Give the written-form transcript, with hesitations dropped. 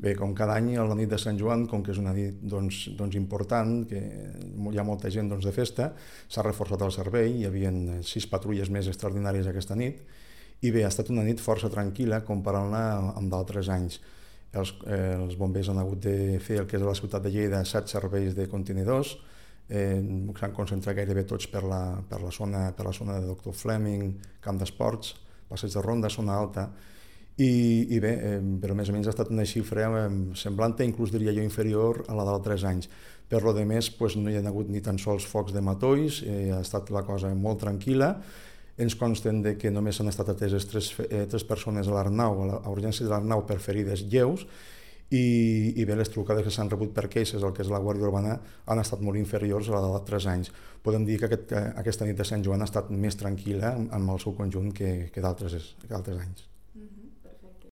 Bé, com cada any, a la nit de Sant Joan, com que és una nit important, que hi ha molta gent de festa, s'ha reforçat el servei, hi havia 6 patrulles més extraordinàries aquesta nit, i bé, ha estat una nit força tranquil·la comparant-la amb d'altres anys. Els bombers han hagut de fer el que és a la ciutat de Lleida 7 serveis de contenidors, s'han concentrat gairebé tots per la zona de Doctor Fleming, Camp d'Esports, Passeig de Ronda, Zona Alta, i bé, però més o menys ha estat una xifra semblant, inclús diria jo inferior a la d'altres anys. Per lo de més, no hi ha hagut ni tan sols focs de matolls, ha estat la cosa molt tranquil·la. Ens consten que només han estat ateses 3 persones a l'Arnau, a urgències de l'Arnau per ferides lleus, i bé, les trucades que s'han rebut per queixes, el que és la Guàrdia Urbana, han estat molt inferiors a la d'altres anys. Podem dir que aquesta nit de Sant Joan ha estat més tranquil·la en el seu conjunt que d'altres anys.